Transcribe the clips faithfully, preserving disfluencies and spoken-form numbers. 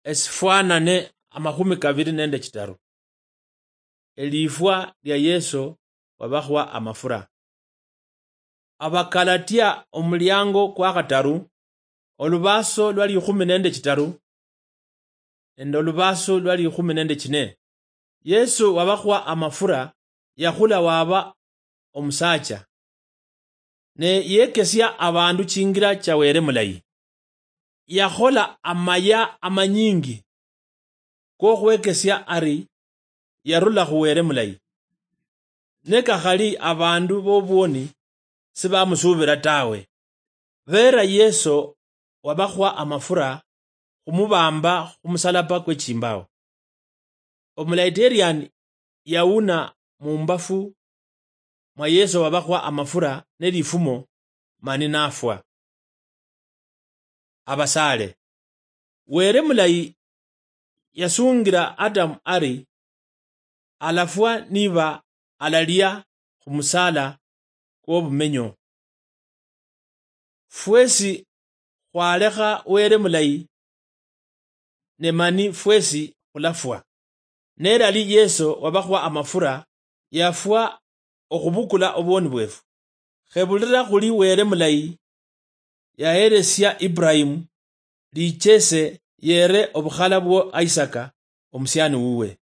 Esifwanane amakhumi kabili nende chitaru. Elifwa lia Yeso wabakhwa amafura. Abakalatia omuliango kwa khataru, olubaso lwa likhumi nende chitaru, nende olubaso lwa likhumi nende chine. Yeso wabakhwa amafura yakhula waba omusacha, ne yekesia abandu chingira cha Wele mulayi. Yakhola amaya amanyingi kokhwekesia ari yarula khu Wele mulayi. Ne kakhali abandu bobwoni sibamusubira tawe. Bera Yeso wabakhwa amafura khumubamba khumusalaba kwe chimbao. Omulaiterani yauna mumbafu mwa Yeso wabakhwa amafura ne lifumo mani nafwa. Abasaale. Wele mulayi yasungira Adamu ari alafwa niba alalia khumusala kwobumenyo. Fwesi khwalekha Wele mulayi, ne mani fwesi khulafwa. Nelali Yeso wabakhwa amafura, yafwa okhubukula obwoni bwefu. Khebulira khuli Wele mulayi, yahelesia Ibrahimu lichese yere obukhala bwo Isaka omusiani wuwe.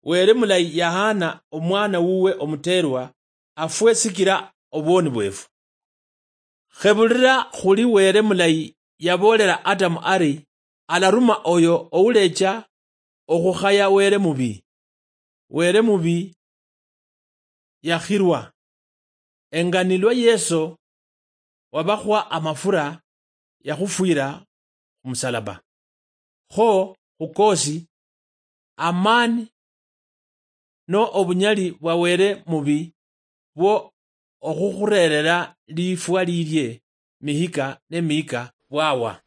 Wele mulayi yahana omwana wuwe omuterwa afwe sikira obwoni bwefu. Khebulira khuli Wele mulayi yaboolera Adamu ari alaruma oyo oulecha okhukhaya Wele mubi. Wele mubi yakhirwa. Enganilwa Yeso wabakhwa amafura yakhufwira khumusalaba. Kho khukosi, amani no obunyali bwa Wele mubi bwo okhukhurerera lifwa lilie mihika ne mihika bwawa.